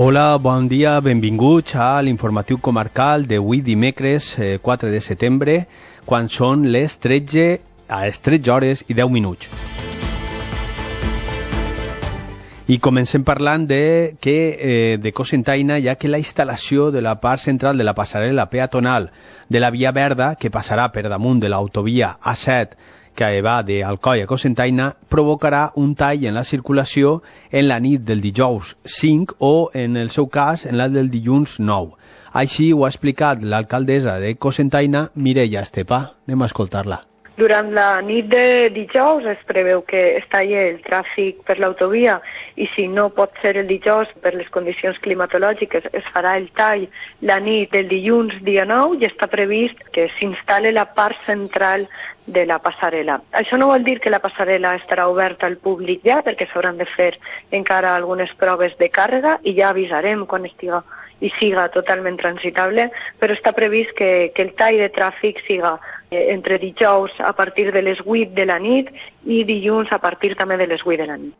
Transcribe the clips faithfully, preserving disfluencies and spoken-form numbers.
Hola, bon dia, benvinguts a l'informatiu comarcal d'avui dimecres eh, quatre de setembre, quan són les tretze, a les tretze hores i deu minuts. I comencem parlant de que eh, de Cocentaina, ja que la instal·lació de la part central de la passarel·la peatonal de la Via Verda, que passarà per damunt de l'autovia A set, que va d'Alcoi a Cocentaina, provocarà un tall en la circulació en la nit del dijous cinc o, en el seu cas, en la del dilluns nou. Així ho ha explicat l'alcaldessa de Cocentaina, Mireia Estepa. Anem a escoltar-la. Durant la nit de dijous es preveu que es talli el tràfic per l'autovia i si no pot ser el dijous per les condicions climatològiques es farà el tall la nit del dilluns dia nou i està previst que s'instal·li la part central de la passarel·la. Això no vol dir que la passarel·la estarà oberta al públic ja, perquè s'hauran de fer encara algunes proves de càrrega i ja avisarem quan estiga i siga totalment transitable, però està previst que, que el tall de tràfic siga eh, entre dijous a partir de les vuit de la nit i dilluns a partir també de les vuit de la nit.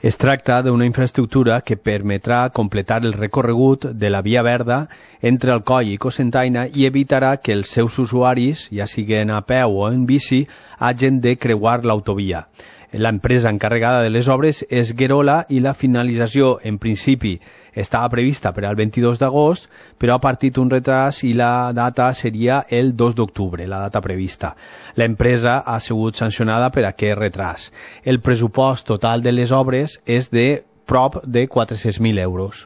Es tracta d'una infraestructura que permetrà completar el recorregut de la Via Verda entre Alcoi i Cocentaina i evitarà que els seus usuaris, ja siguen a peu o en bici, hagin de creuar l'autovia. L'empresa encarregada de les obres és Guerola i la finalització, en principi, estava prevista per al vint-i-dos d'agost, però ha partit un retras i la data seria el dos d'octubre, la data prevista. L'empresa ha sigut sancionada per aquest retras. El pressupost total de les obres és de prop de quatre-cents mil euros.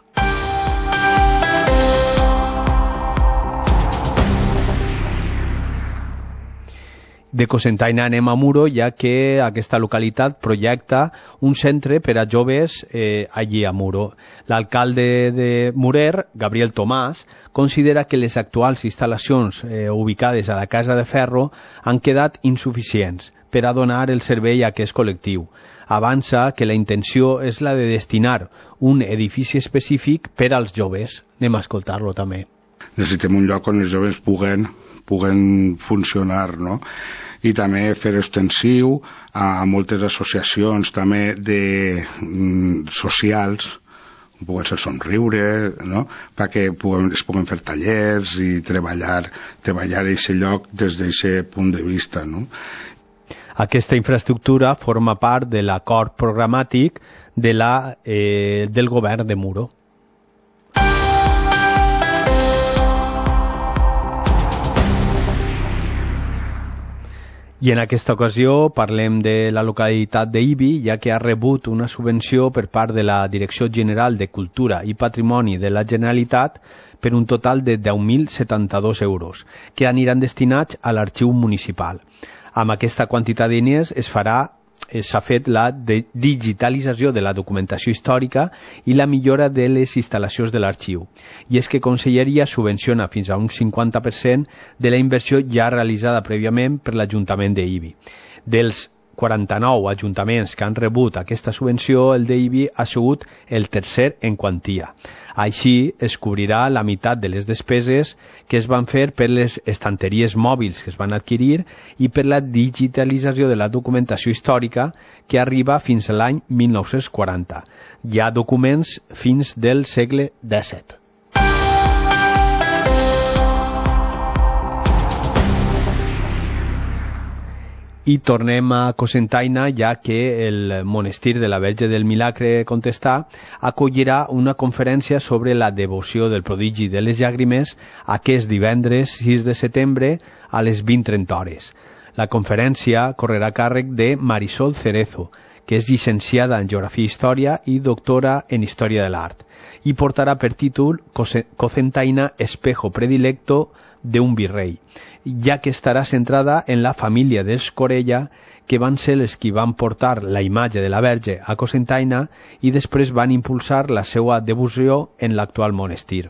De Cocentaina anem a Muro, ja que aquesta localitat projecta un centre per a joves eh, allí a Muro. L'alcalde de Murer, Gabriel Tomàs, considera que les actuals instal·lacions eh, ubicades a la Casa de Ferro han quedat insuficients per a donar el servei a aquest col·lectiu. Avança que la intenció és la de destinar un edifici específic per als joves. Anem a escoltar-lo també. Necessitem un lloc on els joves puguen, puguen funcionar, no? I també fer extensiu a moltes associacions també de mm, socials, poden ser somriure, no? Perquè puguem, es puguen fer tallers i treballar treballar a aquest lloc des d'aquest punt de vista, no? Aquesta infraestructura forma part de l'acord programàtic de la, eh, del govern de Muro. I en aquesta ocasió parlem de la localitat d'Ibi, ja que ha rebut una subvenció per part de la Direcció General de Cultura i Patrimoni de la Generalitat per un total de deu mil setanta-dos euros, que aniran destinats a l'arxiu municipal. Amb aquesta quantitat de diners es farà s'ha fet la digitalització de la documentació històrica i la millora de les instal·lacions de l'arxiu. I és que Conselleria subvenciona fins a un cinquanta per cent de la inversió ja realitzada prèviament per l'Ajuntament d'Ibi. Dels quaranta-nou ajuntaments que han rebut aquesta subvenció, el d'Ibi ha sigut el tercer en quantia. Així es cobrirà la meitat de les despeses que es van fer per les estanteries mòbils que es van adquirir i per la digitalització de la documentació històrica que arriba fins a l'any mil nou-cents quaranta. Hi ha documents fins del segle disset. I tornem a Cocentaina, ja que el monestir de la Verge del Milagre Contestà acollirà una conferència sobre la devoció del prodigi de les llàgrimes aquest divendres sis de setembre a les vint trenta hores. La conferència correrà a càrrec de Marisol Cerezo, que és llicenciada en Geografia i Història i doctora en Història de l'Art, i portarà per títol Cocentaina, espejo predilecto de un virrei, ja que estarà centrada en la família d'Escorella, que van ser els qui van portar la imatge de la Verge a Cocentaina i després van impulsar la seva devoció en l'actual monestir.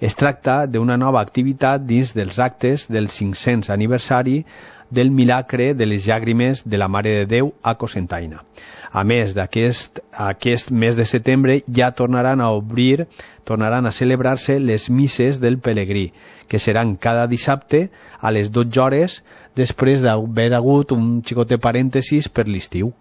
Es tracta d'una nova activitat dins dels actes del cinc-cents aniversari del milagre de les llàgrimes de la Mare de Déu a Cocentaina. A més d'aquest aquest mes de setembre ja tornaran a obrir, tornaran a celebrar-se les misses del Pelegrí, que seran cada dissabte a les dotze hores, després d'haver hagut un xicotet parèntesis per l'estiu.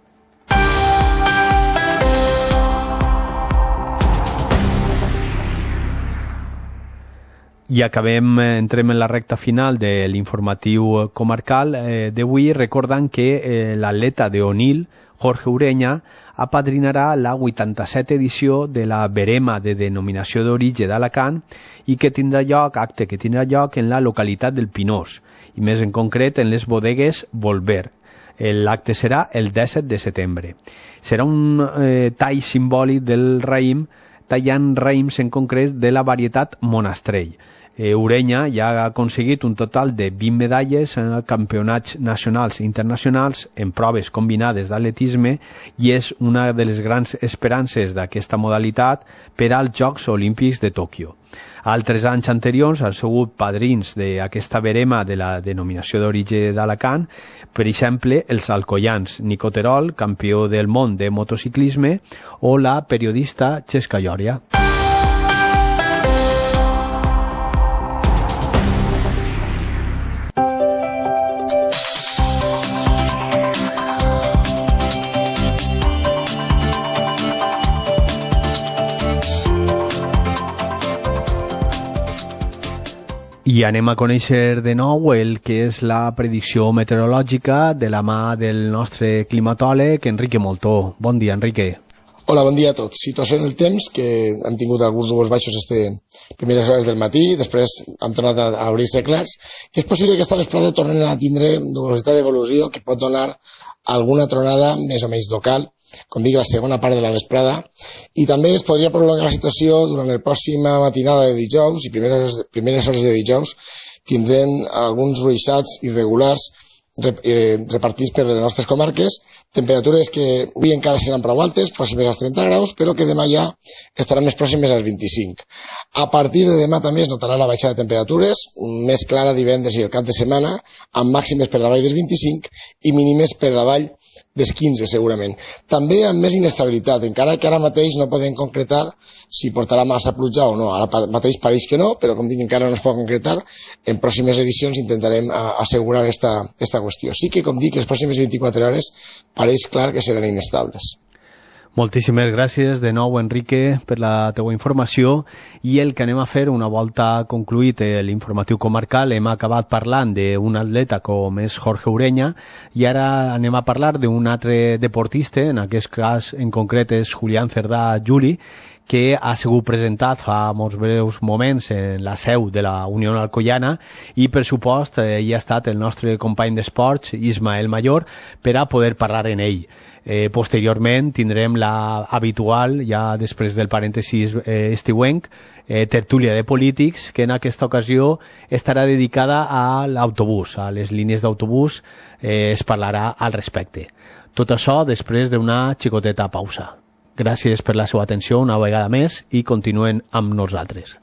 I acabem, entrem en la recta final de l'informatiu comarcal eh, d'avui recordant que eh, l'atleta d'Onil, Jorge Ureña, apadrinarà la vuitanta-setena edició de la Verema de denominació d'origen d'Alacant i que tindrà lloc, acte que tindrà lloc en la localitat del Pinós, i més en concret en les bodegues Volver. L'acte serà el disset de setembre. Serà un eh, tall simbòlic del raïm, tallant raïms en concret de la varietat Monastrell. Eh, Ureña ja ha aconseguit un total de vint medalles en campionats nacionals i internacionals en proves combinades d'atletisme i és una de les grans esperances d'aquesta modalitat per als Jocs Olímpics de Tòquio. Altres anys anteriors han sigut padrins d'aquesta verema de la denominació d'origen d'Alacant, per exemple, els alcoians Nico Terol, campió del món de motociclisme, o la periodista Xesca Lloria. I anem a conèixer de nou el que és la predicció meteorològica de la mà del nostre climatòleg, Enrique Moltó. Bon dia, Enrique. Hola, bon dia a tots. Situació del temps, que hem tingut alguns núvols baixos este primeres hores del matí, després hem tornat a obrir-se clars, i és possible que esta vesprada tornen a tindre nubositat d'evolució que pot donar alguna tronada més o menys local, com dic, la segona part de la vesprada, i també es podria prolongar la situació durant la pròxima matinada de dijous i primeres, primeres hores de dijous. Tindrem alguns ruixats irregulars repartits per les nostres comarques, temperatures que avui encara seran prou altes, pròximes als trenta graus, però que demà ja estaran més pròximes als vint-i-cinc. A partir de demà també es notarà la baixada de temperatures, més clara divendres i el cap de setmana, amb màximes per davall dels vint-i-cinc i mínimes per davall dels quinze, segurament. També amb més inestabilitat, encara que ara mateix no podem concretar si portarà massa pluja o no. Ara mateix pareix que no, però com dic, encara no es pot concretar. En pròximes edicions intentarem assegurar esta, esta qüestió. Sí que, com dic, les pròximes vint-i-quatre hores pareix clar que seran inestables. Moltíssimes gràcies de nou, Enrique, per la teua informació, i el que anem a fer una volta concluït l'informatiu comarcal. Hem acabat parlant d'un atleta com és Jorge Ureña i ara anem a parlar d'un altre deportista, en aquest cas en concret és Julián Cerdà Juli, que ha sigut presentat fa molts breus moments en la seu de la Unió Alcoiana i, per supost, eh, hi ha estat el nostre company d'esports, Ismael Mayor, per a poder parlar en ell. Eh, posteriorment tindrem la habitual, ja després del parèntesis eh, estiuenc, eh, tertúlia de polítics, que en aquesta ocasió estarà dedicada a l'autobús, a les línies d'autobús, eh, es parlarà al respecte. Tot això després d'una xicoteta pausa. Gràcies per la seva atenció una vegada més i continuen amb nosaltres.